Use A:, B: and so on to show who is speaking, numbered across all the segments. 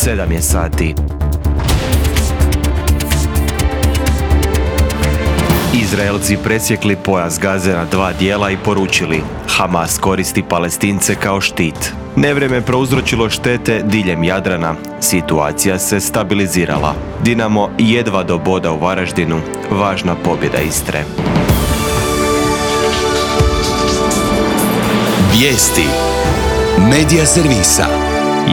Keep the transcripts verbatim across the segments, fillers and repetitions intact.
A: sedam je sati. Izraelci presjekli pojas Gaze na dva dijela i poručili: Hamas koristi Palestince kao štit. Nevrijeme prouzročilo štete diljem Jadrana. Situacija se stabilizirala. Dinamo jedva do boda u Varaždinu. Važna pobjeda Istre.
B: Vijesti Medija servisa.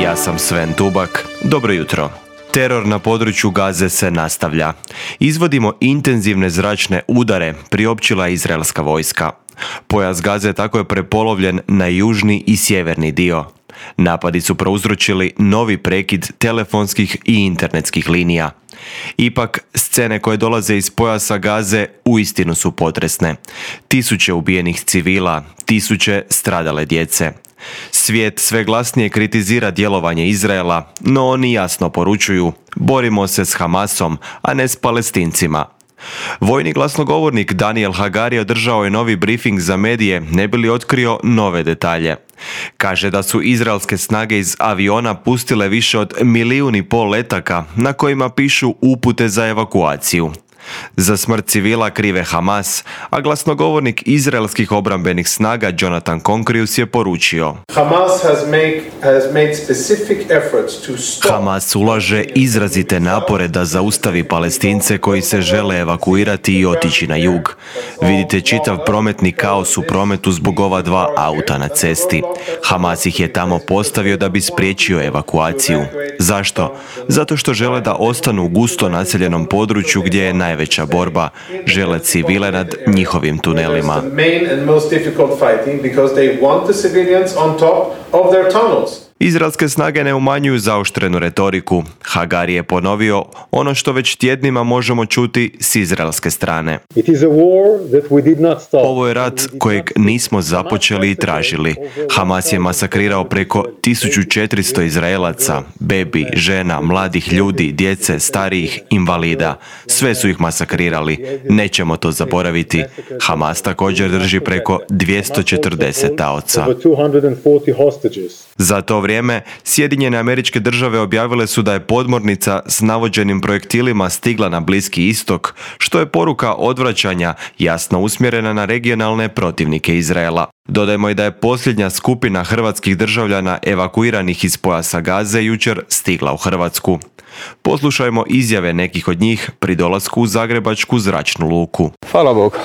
A: Ja sam Sven Tubak. Dobro jutro. Teror na području Gaze se nastavlja. Izvodimo intenzivne zračne udare, priopćila je izraelska vojska. Pojas Gaze tako je prepolovljen na južni i sjeverni dio. Napadi su prouzročili novi prekid telefonskih i internetskih linija. Ipak, scene koje dolaze iz pojasa Gaze uistinu su potresne. Tisuće ubijenih civila, tisuće stradale djece. Svijet sve glasnije kritizira djelovanje Izraela, no oni jasno poručuju: borimo se s Hamasom, a ne s Palestincima. Vojni glasnogovornik Daniel Hagari održao je novi brifing za medije, ne bi li otkrio nove detalje. Kaže da su izraelske snage iz aviona pustile više od milijun i pol letaka na kojima pišu upute za evakuaciju. Za smrt civila krive Hamas, a glasnogovornik izraelskih obrambenih snaga Jonathan Concrius je poručio:
C: Hamas has make, has made specific efforts to stop.
A: Hamas ulaže izrazite napore da zaustavi Palestince koji se žele evakuirati i otići na jug. Vidite čitav prometni kaos u prometu zbog ova dva auta na cesti. Hamas ih je tamo postavio da bi spriječio evakuaciju. Zašto? Zato što žele da ostanu u gusto naseljenom području gdje je najveća borba. Žele civile nad njihovim tunelima. Izraelske snage ne umanjuju zaoštrenu retoriku. Hagari je ponovio ono što već tjednima možemo čuti s izraelske strane. Ovo je rat kojeg nismo započeli i tražili. Hamas je masakrirao preko tisuću četiristo Izraelaca, bebi, žena, mladih ljudi, djece, starijih, invalida. Sve su ih masakrirali. Nećemo to zaboraviti. Hamas također drži preko dvjesto četrdeset taoca. Za to vrijeme, Sjedinjene Američke Države objavile su da je podmornica s navođenim projektilima stigla na Bliski istok, što je poruka odvraćanja jasno usmjerena na regionalne protivnike Izraela. Dodajmo i da je posljednja skupina hrvatskih državljana evakuiranih iz pojasa Gaze jučer stigla u Hrvatsku. Poslušajmo izjave nekih od njih pri dolasku u Zagrebačku zračnu luku.
D: Hvala Bogu.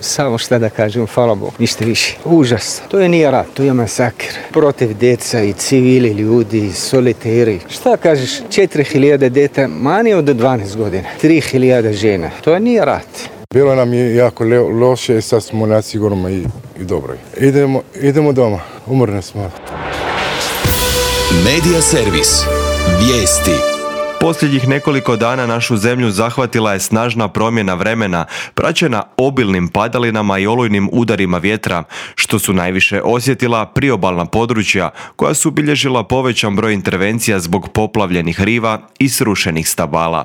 D: Samo šta da kažem, hvala Bogu, ništa više. Užas. To je nije rat, to je masakr. Protiv djeca i civili ljudi, soliteri. Šta kažeš, četiri hiljade djeta manje od dvanaest godina. tri hiljade žena. To je nije rat.
E: Bilo nam je jako le- loše i sad smo na sigurno i, i dobro. Idemo, idemo doma, umorni smo.
B: Medija servis. Vijesti.
A: Posljednjih nekoliko dana našu zemlju zahvatila je snažna promjena vremena, praćena obilnim padalinama i olujnim udarima vjetra, što su najviše osjetila priobalna područja koja su bilježila povećan broj intervencija zbog poplavljenih riva i srušenih stabala.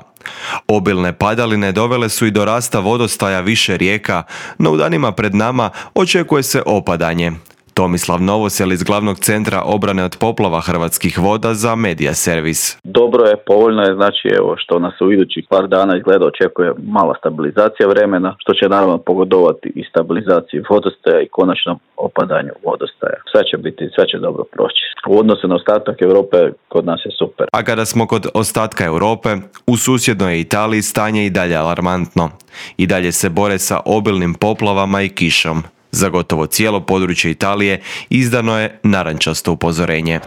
A: Obilne padaline dovele su i do rasta vodostaja više rijeka, no u danima pred nama očekuje se opadanje. Tomislav Novosel iz Glavnog centra obrane od poplava Hrvatskih voda za Medija servis.
F: Dobro je, povoljno je, znači evo što nas u idućih par dana izgleda očekuje mala stabilizacija vremena, što će naravno pogodovati i stabilizaciji vodostaja i konačnom opadanju vodostaja. Sve će biti, sve će dobro proći. U odnosu na ostatak Europe kod nas je super.
A: A kada smo kod ostatka Europe, u susjednoj Italiji stanje i dalje alarmantno. I dalje se bore sa obilnim poplavama i kišom. Za gotovo cijelo područje Italije izdano je narančasto upozorenje.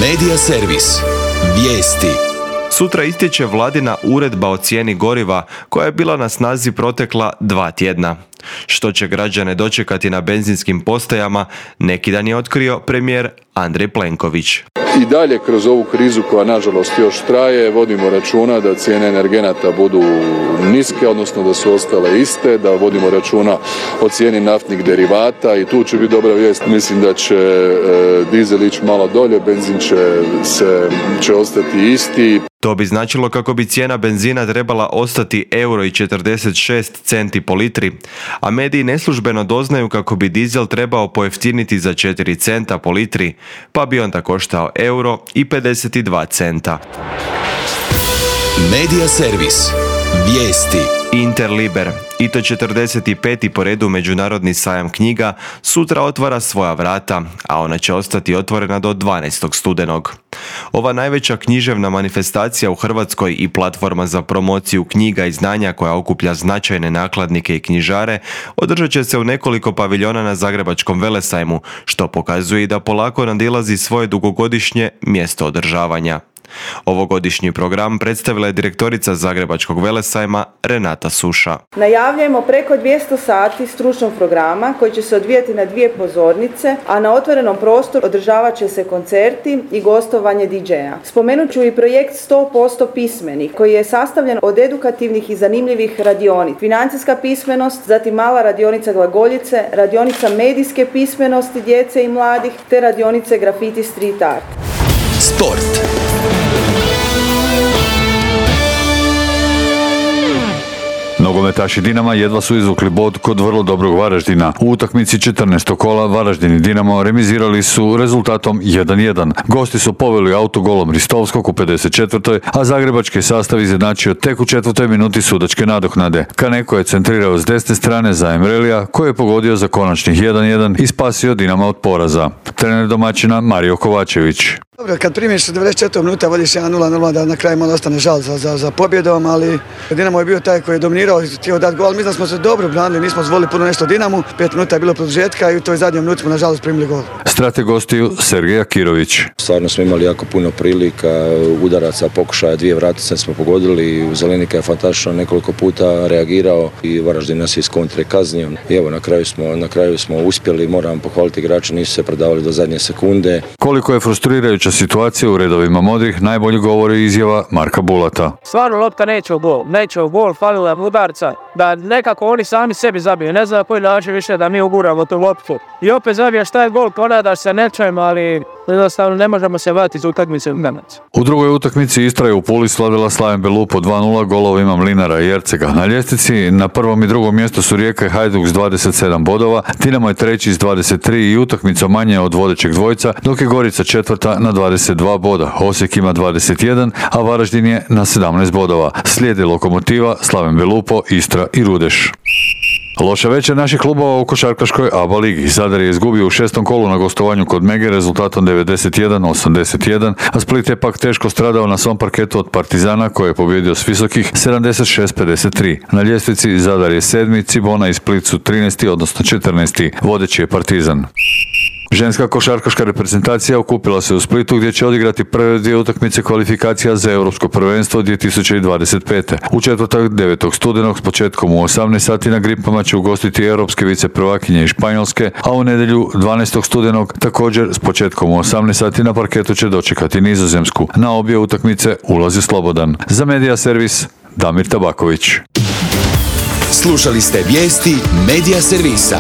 B: Medija servis. Vijesti.
A: Sutra istječe vladina uredba o cijeni goriva koja je bila na snazi protekla dva tjedna. Što će građane dočekati na benzinskim postajama, neki dan je otkrio premijer Andrej Plenković.
G: I dalje kroz ovu krizu koja nažalost još traje vodimo računa da cijene energenata budu niske, odnosno da su ostale iste, da vodimo računa o cijeni naftnih derivata i tu će biti dobra vijest. Mislim da će e, dizel ići malo dolje, benzin će, se, će ostati isti.
A: To bi značilo kako bi cijena benzina trebala ostati euro i četrdeset šest centi po litri, a mediji neslužbeno doznaju kako bi dizel trebao pojeftiniti za četiri centa po litri, pa bi onda koštao euro i pedeset dva centa.
B: Medija servis. Vijesti.
A: Interliber, i to četrdeset peti po redu međunarodni sajam knjiga, sutra otvara svoja vrata, a ona će ostati otvorena do dvanaestog studenog. Ova najveća književna manifestacija u Hrvatskoj i platforma za promociju knjiga i znanja koja okuplja značajne nakladnike i knjižare održat će se u nekoliko paviljona na Zagrebačkom velesajmu, što pokazuje i da polako nadilazi svoje dugogodišnje mjesto održavanja. Ovogodišnji program predstavila je direktorica Zagrebačkog velesajma Renata Suša.
H: Najavljujemo preko dvjesto sati stručnog programa koji će se odvijati na dvije pozornice, a na otvorenom prostoru održavat će se koncerti i gostovanje di džeja. Spomenut ću i projekt sto posto pismeni koji je sastavljen od edukativnih i zanimljivih radionica. Financijska pismenost, zatim mala radionica glagoljice, radionica medijske pismenosti djece i mladih te radionice grafiti street art.
B: Sport.
I: Nogometaši Dinama jedva su izvukli bod kod vrlo dobrog Varaždina. U utakmici četrnaestog kola Varaždin i Dinamo remizirali su rezultatom jedan jedan. Gosti su poveli autogolom Ristovskog u pedeset četvrtoj a zagrebački sastav izjednačio tek u četvrtoj minuti sudačke nadoknade. Kaneko je centrirao s desne strane za Emrelija, koji je pogodio za konačnih jedan jedan i spasio Dinama od poraza. Trener domaćina Mario Kovačević.
J: Dobro, kad primiš devedeset četiri minuta, vodiš jedan nula nula, da na kraju malo ostane žal za, za, za pobjedom, ali Dinamo je bio taj koji je dominirao i htio dati gol. Mislim da smo se dobro branili, nismo zvolili puno nešto Dinamu, pet minuta je bilo produžetka i u toj zadnjoj minuti smo nažalost primili gol.
I: Strateg gostiju Sergej Akirović.
K: Stvarno smo imali jako puno prilika, udaraca, pokušaja, dvije vratice smo pogodili, Zelenika je fantastično nekoliko puta reagirao i Varaždin nas je iz kontre kaznio. I evo, na kraju smo, na kraju smo uspjeli, moram pohvaliti igrače, nisu se predavali do zadnje sekunde.
I: Koliko je frustrirajuća situacija u redovima modrih, najbolje govori izjava Marka Bulata.
L: Stvarno lopta neće u gol, neće u gol, falila udarca, da nekako oni sami sebi zabiju, ne znam na koji način više da mi uguramo tu loptu. I opet zabijaš taj gol, ponadaš se nečem, ali jednostavno ne možemo se vratiti iz utakmice u Memac.
I: U drugoj utakmici Istra je u Puli slavila Slaven Belupo dva nula golovima Mlinara i Ercega. Na ljestvici na prvom i drugom mjestu su Rijeka i Hajduk s dvadeset sedam bodova, Dinamo je treći s dvadeset tri i utakmica manje od vodećeg dvojca, dok je Gorica četvrta na dvadeset dva boda. Osijek ima dvadeset jedan, a Varaždin je na sedamnaest bodova. Slijedi Lokomotiva, Slaven Belupo, Istra i Rudeš. Loša večer naših klubova u košarkaškoj A B A ligi. Zadar je izgubio u šestom kolu na gostovanju kod Mege rezultatom devedeset jedan osamdeset jedan, a Split je pak teško stradao na svom parketu od Partizana koji je pobjedio s visokih sedamdeset šest pedeset tri. Na ljestvici Zadar je sedmi, Cibona i Split su trinaesti odnosno četrnaesti. Vodeći je Partizan. Ženska košarkaška reprezentacija okupila se u Splitu gdje će odigrati prve dvije utakmice kvalifikacija za Europsko prvenstvo dvije tisuće dvadeset pete. U četvrtak devetog studenog s početkom u osamnaest sati na Gripama će ugostiti europske viceprvakinje iz Španjolske, a u nedjelju dvanaestog studenog također s početkom u osamnaest sati na parketu će dočekati Nizozemsku. Na obje utakmice ulazi slobodan. Za Medija servis Damir Tabaković.
B: Slušali ste vijesti Medija servisa.